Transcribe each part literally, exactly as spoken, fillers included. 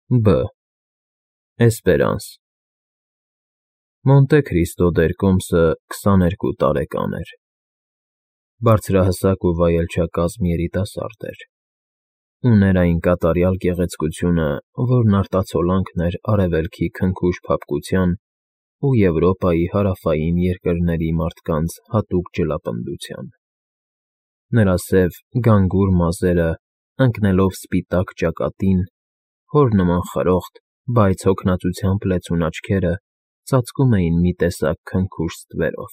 Բ. Էսպերանս Մոնտե Քրիստո դերկոմսը քսաներկու տարեկան էր, բարձրահասակ ու վայելչակազմ երիտասարդ էր, ուներ այն կատարյալ գեղեցկությունը, որն արտացոլանքն էր Արևելքի քնքուշ փափկության ու Եվրոպայի հարավային երկրների մարդկանց հատուկ ջլապնդության. նրա սև, գանգուր մազերը, ընկնելով սպիտակ ճակատին, հոր նման խրոխտ, բայց հոգնածությամբ լեցուն աչքերը ծածկում էին մի տեսակ քնքուշ ստվերով.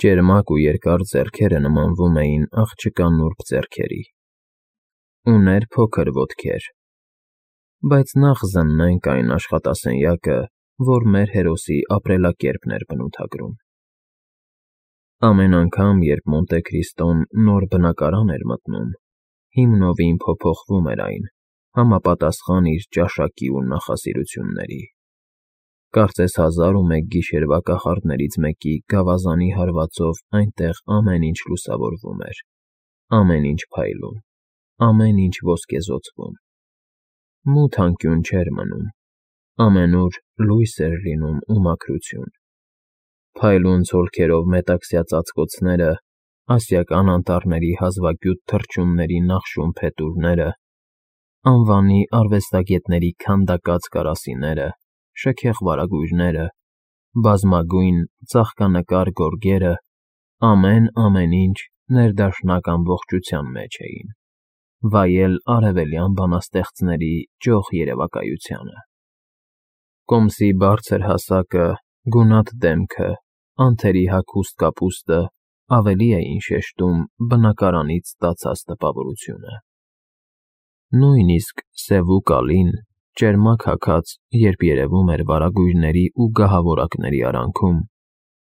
ճերմակ ու երկար ձեռքերը նմանվում էին աղջկա նուրբ ձեռքերի, ուներ փոքր ոտքեր, բայց նախ զննենք այն աշխատասենյակը, որ մեր հերոսի ապրելակերպն էր բնութագրում. Ամեն անգամ, երբ Մոնտե Քրիստոն նոր բնակարան էր մտնում, հիմնովին փոփոխվում էր այն, համապատասխան իր ճաշակի ու նախասիրությունների, կարծես հազար ու մեկ գիշերվա կախարդներից մեկի գավազանի հարվածով այնտեղ ամեն ինչ լուսավորվում էր, ամեն ինչ փայլում, ամեն ինչ ոսկեզօծվում, մութ անկյուն չէր մնում, ամենուր լույս էր լինում ու մաքրություն, փայլուն ցոլքերով մետաքսյա ծածկոցները, ասիական անտառների հազվագյուտ թռչունների նախշում փետուրները, անվանի արվեստագետների քանդակած կարասիները, շքեղ վարագույրները, բազմագույն ծաղկանկար գորգերը, ամեն֊ամեն ինչ ներդաշնակ ամբողջության մեջ էին, վայել արևելյան բանաստեղծների ճոխ երևակայությանը. կոմսի բարձր հասակը, գունատ դեմքը, անթերի հագուստ կապուստը ավելի էին շեշտում բնակարանից ստացած տպավորությունը. նույնիսկ սևուկալին, ճերմակ հագած, երբ երևում էր վարագույրների ու գահավորակների արանքում,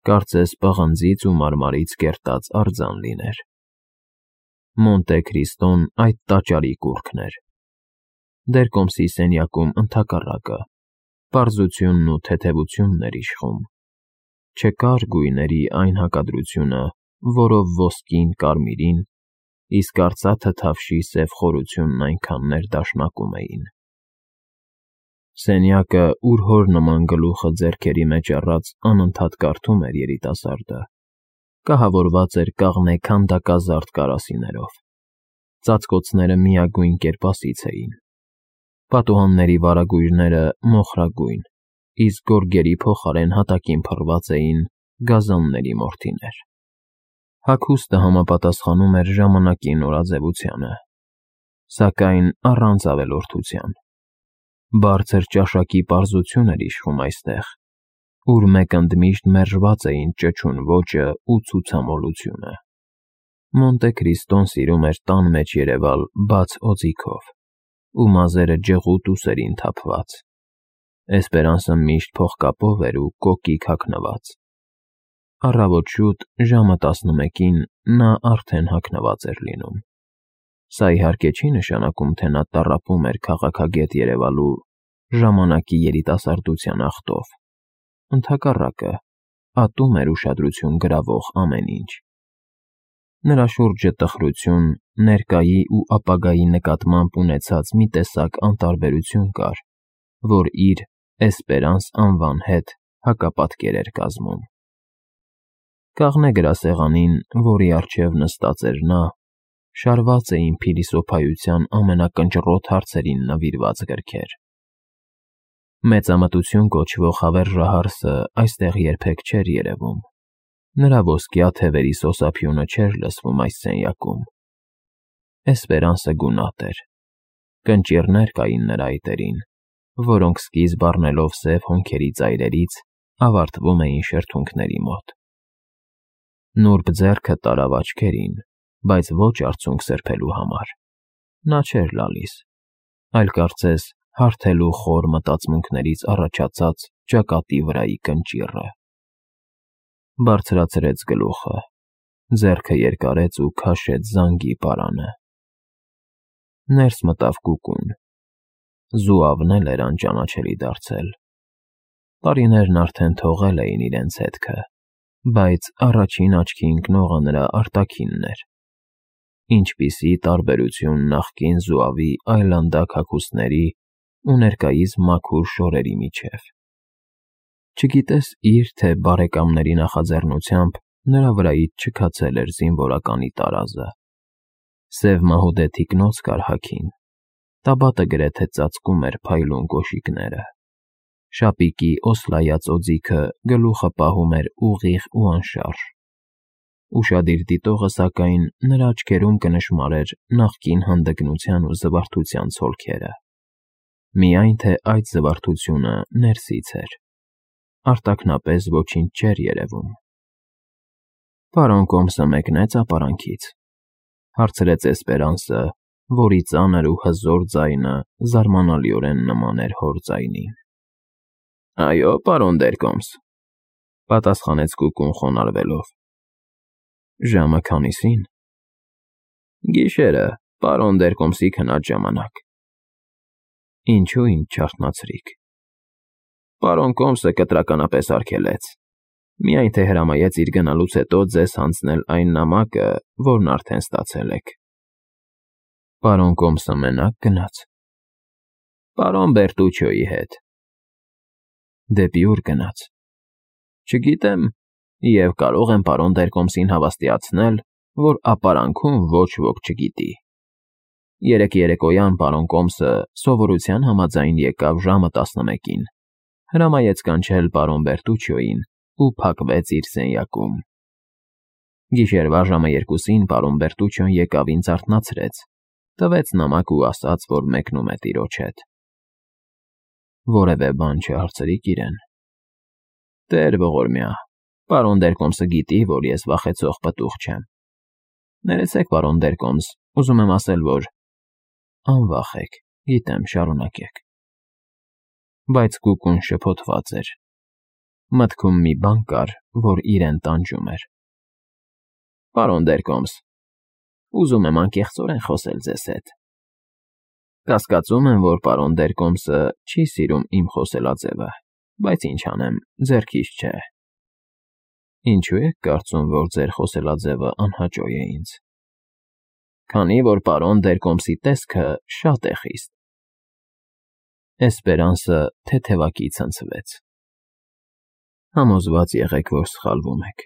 կարծես պղնձից ու մարմարից կերտած արձան լիներ. Մոնտե Քրիստոն այդ տաճարի կուռքն էր, դերկոմսի սենյակում ընդհակառակը, պարզությունն ու թեթևությունն էր իշխում, չկար գույների այն հակադրությունը, որով ոսկին կարմիրին, իսկ արծաթը թավշի սև խորությունն այնքան ներդաշնակում էին. Սենյակը, ուր հոր նման գլուխը ձեռքերի մեջ առած անընդհատ կարդում էր երիտասարդը, կահավորված էր կաղնե քանդակազարդ կարասիներով, ծածկոցները միագույն կերպասից էին, պատուհանների վարագույրները մոխրագույն, իսկ գորգերի փոխարեն հատակին փռված էին գազանների մորթիներ. հագուստը համապատասխանում էր ժամանակի նորաձևությանը, սակայն առանց ավելորդության, բարձր ճաշակի պարզություն էր իշխում այստեղ, ուր մեկ ընդմիշտ մերժված էին ճչուն ոճն ու ցուցամոլությունը. Մոնտե Քրիստոն սիրում էր տան մեջ երևալ բաց օձիքով ու մազերը ջղուտ ուսերին թափված, Էսպերանսը միշտ փողկապով էր ու կոկիկ հագնված, առավոտ շուտ, ժամը տասնմեկին նա արդեն հագնված էր լինում, սա իհարկե չի նշանակում, թե նա տառապում էր քաղաքագետ երևալու ժամանակի երիտասարդության աղտով, ընդհակառակը, ատում էր ուշադրություն գրավող ամեն ինչ. նրա շուրջը տխրություն, ներկայի ու ապագայի նկատմամբ ունեցած մի տեսակ անտարբերություն կար, որ իր Էսպերանս անվան հետ հակապատկեր էր կազմում. կաղնե գրասեղանին, որի առջև նստած էր նա, շարված էին փիլիսոփայության ամենակնճռոտ հարցերին նվիրված գրքեր. Մեծամտություն կոչվող հավերժահարսը այստեղ երբեք չէր երևում, նրա ոսկյա թևերի սոսափյունը չէր լսվում այս սենյակում, Էսպերանսը գունատ էր, կնճիռներ կային նրա այտերին, որոնք սկիզբ առնելով սև հոնքերի ծայրերից, ավարտվում էին շրթունքների մոտ. նուրբ ձեռքը տարավ աչքերին, բայց ոչ արցունք սրբելու համար, նա չէր լալիս, այլ կարծես հարթելու խոր մտածմունքներից առաջացած ճակատի վրայի կնճիռը. բարձրացրեց գլուխը, ձեռքը երկարեց ու քաշեց զանգի պարանը, ներս մտավ կուկուն, զուավն էլ էր անճանաչելի դարձել, տարիներն արդեն թողել էին իրենց հետքը, բայց առաջին աչքի ընկնողը նրա արտաքինն էր, ինչպիսի տարբերություն նախկին զուավի այլանդակ հագուստների ու ներկայիս մաքուր շորերի միջև։ Չգիտես իր թե բարեկամների նախաձեռնությամբ նրա վրայից չքացել էր զինվորականի տարազը։ Սև մահուդե թիկնոց կար հագին, տաբատը գրեթե ծածկում էր փայլուն կոշիկները։ Շապիկի օսլայած օձիքը գլուխը պահում էր ուղիղ ու անշարժ։ Ուշադիր դիտողը, սակայն, նրա աչքերում կնշմարեր նախկին հանդգնության ու զվարթության ցոլքերը։ Միայն թե այդ զվարթությունը ներսից էր, արտաքնապես ոչինչ չէր երևում։ «Պարոն Կոմսը մեկնեց ապարանքից», հարցրեց Էսպերանսը, որի ծանր ու հզոր ձայնը զարմանալիորեն նման էր հոր ձայնին։ «Այո, պարոն Դերկոմս», պատասխանեց Կուկուն խոնարհվելով։ «Ժամը քանիսին»։ «Գիշերը, պարոն Դերկոմսի քնած ժամանակ»։ «Ինչու ինձ չարթնացրիք»։ «Պարոն Կոմսը կտրականապես արգելեց, միայն թե հրամայեց իր գնալուց հետո ձեզ հանձնել այն նամակը, որն արդեն ստացել եք»։ «Պարոն Կոմսը մենակ գնաց»։ «Պարոն Բերտուչիոյի հետ»։ «Դեպի ուր գնաց»։ «Չգիտեմ, և կարող եմ պարոն Դերկոմսին հավաստիացնել, որ ապարանքում ոչ ոք չգիտի։ Երեկ երեկոյան պարոն Կոմսը սովորության համաձայն եկավ ժամը տասնմեկին, հրամայեց կանչել պարոն Բերտուչիոյին ու փակվեց իր սենյակում։ Գիշերվա ժամը երկուսին պարոն Բերտուչիոն եկավ ինձ արթնացրեց, տվեց նամակ ու ասաց, որ մեկնում է տիրոջ հետ»։ «Որևէ բան չհարցրիք իրեն»։ «Տեր ողորմյա, պարոն Դերկոմսը գիտի, որ ես վախեցող պտուղ չեմ։ Ներեցեք, պարոն Դերկոմս, ուզում եմ ասել, որ…» «Անվախեք, գիտեմ, շարունակեք»։ Բայց Կուկուն շփոթված էր։ Մտքում մի բան կար, որ իրեն տանջում էր։ «Պարոն Դերկոմս, ուզում եմ անկեղծորեն խոսել ձեզ հետ։ Կասկածում եմ, որ պարոն Դերկոմսը չի սիրում իմ խոսելաձևը, բայց ինչ անեմ, ձեռքից չէ»։ «Ինչու եք կարծում, որ ձեր խոսելաձևը անհաճո է ինձ»։ «Քանի որ պարոն Դերկոմսի տեսքը շատ է խիստ»։ Էսպերանսը թեթևակի ցնցվեց։ «Համոզված եղեք, որ սխալվում եք։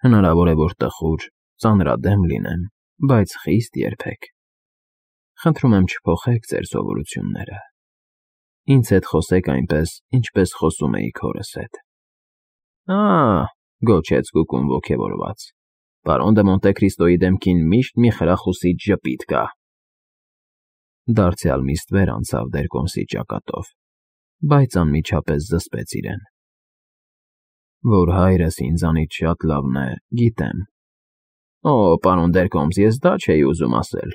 Հնարավոր է, որ տխուր, ծանրադեմ լինեմ, բայց խիստ երբեք։ Խնդրում եմ չփոխեք ձեր սովորությունները։ Ինձ հետ խոսեք այնպես, ինչպես խոսում էիք հորս հետ»։ «Ա՜,» գոչեց Կուկուն ոգևորված, «պարոն դը Մոնտե Քրիստոյի դեմքին միշտ մի խրախուսիչ ժպիտ կա»։ Դարձյալ մի ստվեր անցավ Դերկոմսի ճակատով, բայց անմիջապես զսպեց իրեն։ «Որ հայրս ինձանից շատ լավն է, գիտեմ»։ «Օ, պարոն Դերկոմս, ես դա չէի ուզում ասել»։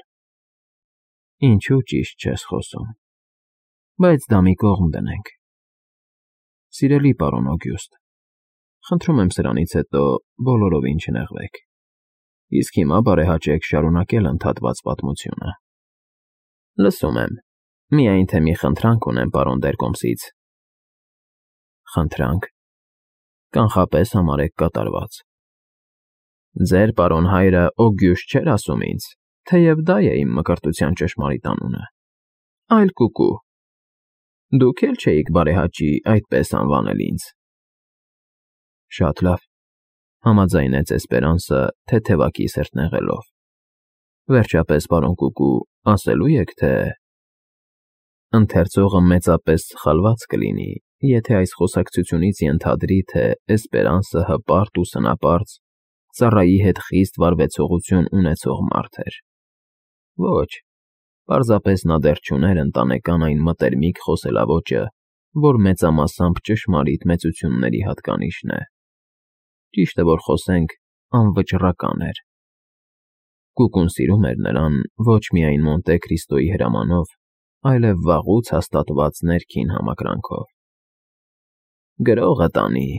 «Ինչու ճիշտ չես խոսում։ Բայց դա մի կողմ դնենք։ Սիրելի պարոն Օգյուստ, խնդրում եմ սրանից հետո բոլորովին չնեղվեք, իսկ հիմա բարեհաճեք շարունակել ընդհատված պատմությունը»։ «Լսում եմ, միայն թե մի խնդրանք ունեմ պարոն Դերկոմսից»։ «Խնդրանք»։ Կանխապես համարեք կատարված։ Ձեր պարոն հայրը Օգյուշտ չէր ասում ինձ, թեև դա է իմ մկրտության ճշմարիտ անունը, այլ Կուկու։ Դուք էլ չէիք բարեհաճի այդպես անվանել ինձ»։ «Շատ լավ», համաձայնեց Էսպերանսը թեթևակի սրտնեղելով։ «Վերջապես, պարոն Կուկու, ասելու եք, թե…» Ընթերցողը մեծապես սխալված կլինի, եթե այս խոսակցությունից ենթադրի, թե Էսպերանսը հպարտ ու սնապարծ, ծառայի հետ խիստ վարվեցողություն ունեցող մարդ էր։ Ոչ, պարզապես նա դեռ չուներ ընտանեկան այն մտերմիկ խոսելաոճը, որ մեծամասամբ ճշմարիտ մեծությունների հատկանիշն է։ Ճիշտ է, որ խոսենք, անվճռական էր։ Կուկուն սիրում էր նրան ոչ միայն Մոնտե Քրիստոյի հրամանով, այլև վաղուց հաստատված ներքին համակրանքով։ «Գրողը տանի»,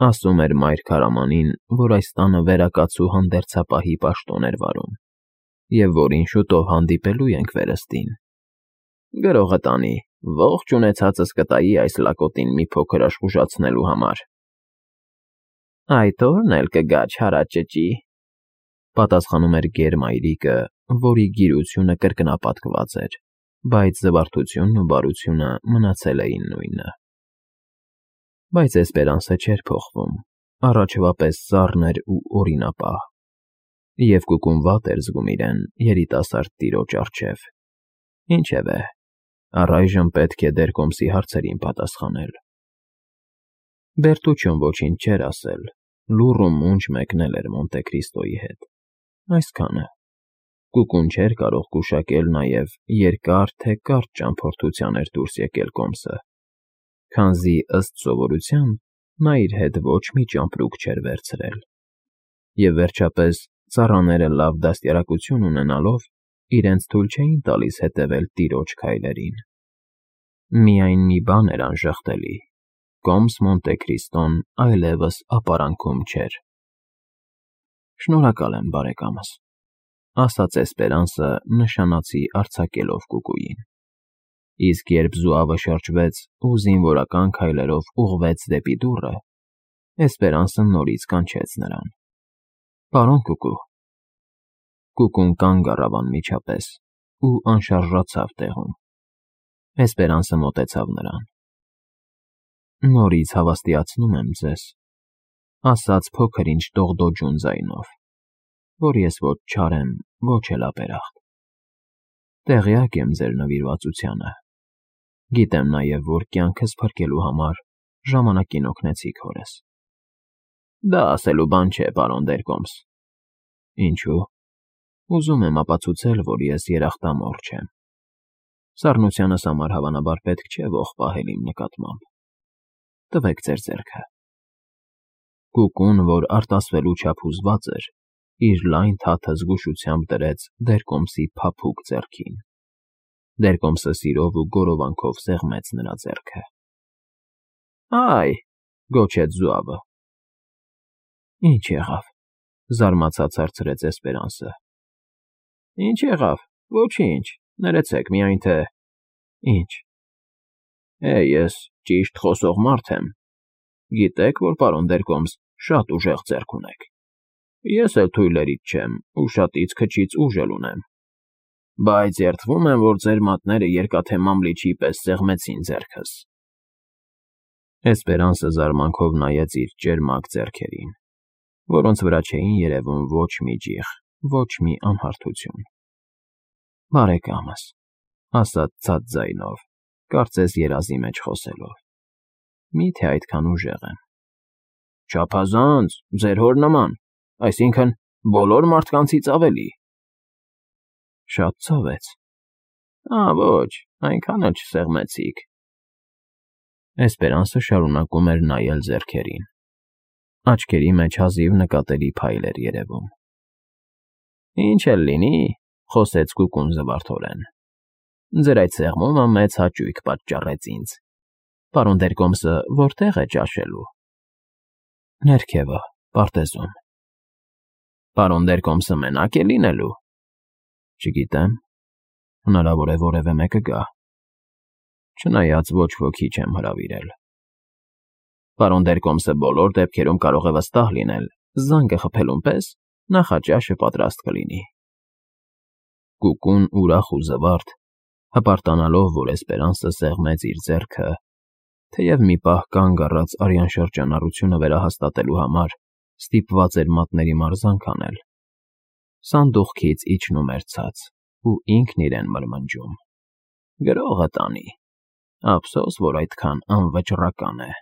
ասում էր մայր քարամանին, որ այս տանը վերակացու հանդերձապահի պաշտոն էր վարում, և որին շուտով հանդիպելու ենք վերստին։ «Գրողը տանի, ողջ ունեցածս կտայի այս լակոտին մի փոքր աշխուժացնելու համար»։ «Այդ ո՞րն էլ կգա, չարաճճի»։ Պատասխանում էր գերմայրիկը, որի գիրությունը կրկնապատկված էր, բայց զվարթությունն ու բարությունը մնացել էին նույնը։ Բայց Էսպերանսը չէր փոխվում, առաջվա պես սառն էր ու օրինապահ, և Կուկուն վատ էր զգում իրեն երիտասարդ տիրոջ առջև։ Ինչևէ, առայժմ պետք է Դերկոմսի հարցերին պատասխանել։ Բերտուչոն ոչինչ չէր ասել, լուռ ու մունջ մեկնել էր Մոնտե Քրիստոյի հետ։ Այսքանը։ Կուկուն չէր կարող գուշակել նաև երկար թե կարճ ճամփորդության էր դուրս եկել կոմսը, քանզի, ըստ սովորության, նա իր հետ ոչ մի ճամպրուկ չէր վերցրել, և, վերջապես, ծառաները լավ դաստիարակություն ունենալով, իրենց թույլ չէին տալիս հետևել տիրոջ քայլերին։ Միայն մի բան էր անժխտելի. կոմս Մոնտե Քրիստոն այլևս ապարանքում չէր։ Շնորհակալ եմ, բարեկամս, ասաց Էսպերանսը նշանածի արձակելով Կուկուին, իսկ երբ զուավը շրջվեց ու զինվորական քայլերով ուղղվեց դեպի դուռը, Էսպերանսը նորից կանչեց նրան. Պարոն Կուկու։ Կուկուն կանգ առավ անմիջապես ու անշարժացավ տեղում։ Էսպերանսը մոտեցավ նրան. Նորից հավաստիացնում եմ ձեզ, ասաց փոքր-ինչ դողդոջուն ձայնով, որ ես ոչ չար եմ, ոչ էլ ապերախտ։ Տեղյակ եմ ձեր նվիրվածությանը։ Գիտեմ նաև, որ կյանքս փրկելու համար ժամանակին օգնեցիք հորս։ Դա ասելու բան չէ, պարոն Դերկոմս։ Ինչու՞։ Ուզում եմ ապացուցել, որ ես երախտամոռ չեմ։ Սառնությանս համար հավանաբար պետք չէ ոխ պահել իմ նկատմամբ։ Տվեք ձեր ձեռքը։ Կուկուն, որ արտասվելու չափ հուզված էր, իր լայն թաթը զգուշությամբ դրեց Դերկոմսի փափուկ ձեռքին։ Դերկոմսը սիրով ու գորովանքով սեղմեց նրա ձեռքը։ Այ, գոչեց զուավը։ Ինչ եղավ, զարմացած հարցրեց Էսպերանսը։ Ինչ եղավ, ոչինչ, ներեցեք, միայն թե… Ինչ։ Է, ես ճիշտ խոսող մարդ եմ։ Գիտեք, որ պարոն Դերկոմս շատ ուժեղ ձեռք ունեք։ Ես էլ թույլերից չեմ ու շատից քչից ուժ էլ ունեմ։ Բայց երդվում եմ, որ ձեր մատները երկաթե մամլիչի պես սեղմեցին ձեռքս։ Էսպերանսը զարմանքով նայեց իր ճերմակ ձեռքերին, որոնց վրա չէին երևում ոչ մի ջիղ, ոչ մի անհարթություն։ Բարեկամս, ասաց ցած ձայնով, կարծես երազի մեջ խոսելով, մի՞թե այդքան ուժեղ եմ։ Չափազանց, ձեր հոր նման, այսինքն՝ բոլոր մարդկանցից ավելի։ Շատ ցավեց։ Ա, ոչ, այնքան էլ չսեղմեցիք։ Էսպերանսը շարունակում էր նայել ձեռքերին։ Աչքերի մեջ հազիվ նկատելի փայլ էր երևում։ Ինչ էլ լինի, խոսեց Կուկուն զվարթորեն։ Ձեր այդ սեղմումը մեծ հաճույք պատճառեց ինձ։ Պարոն Դերկոմսը որտե՞ղ է ճաշելու։ Ներքևը, պարտեզում։ Պարոն Դերկոմսը մենակ է լինելու։ Չգիտեմ, հնարավոր է որևէ մեկը գա։ Չնայած ոչ ոքի չեմ հրավիրել։ Պարոն Դերկոմսը բոլոր դեպքերում կարող է վստահ լինել, զանգը խփելուն պես նախաճաշը պատրաստ կլինի։ Կուկուն ուրախ ու զվարթ, հպարտանալով, որ Էսպերանսը սեղմեց իր ձեռքը, թեև մի պահ կանգ առած արյան շրջանառությունը վերահաստատելու համար ստիպված էր մատների մարզանք անել, սանդուղքից իջնում էր ցած ու ինքն իրեն մրմնջում. Գրողը տանի, ափսոս, որ այդքան անվճռական է։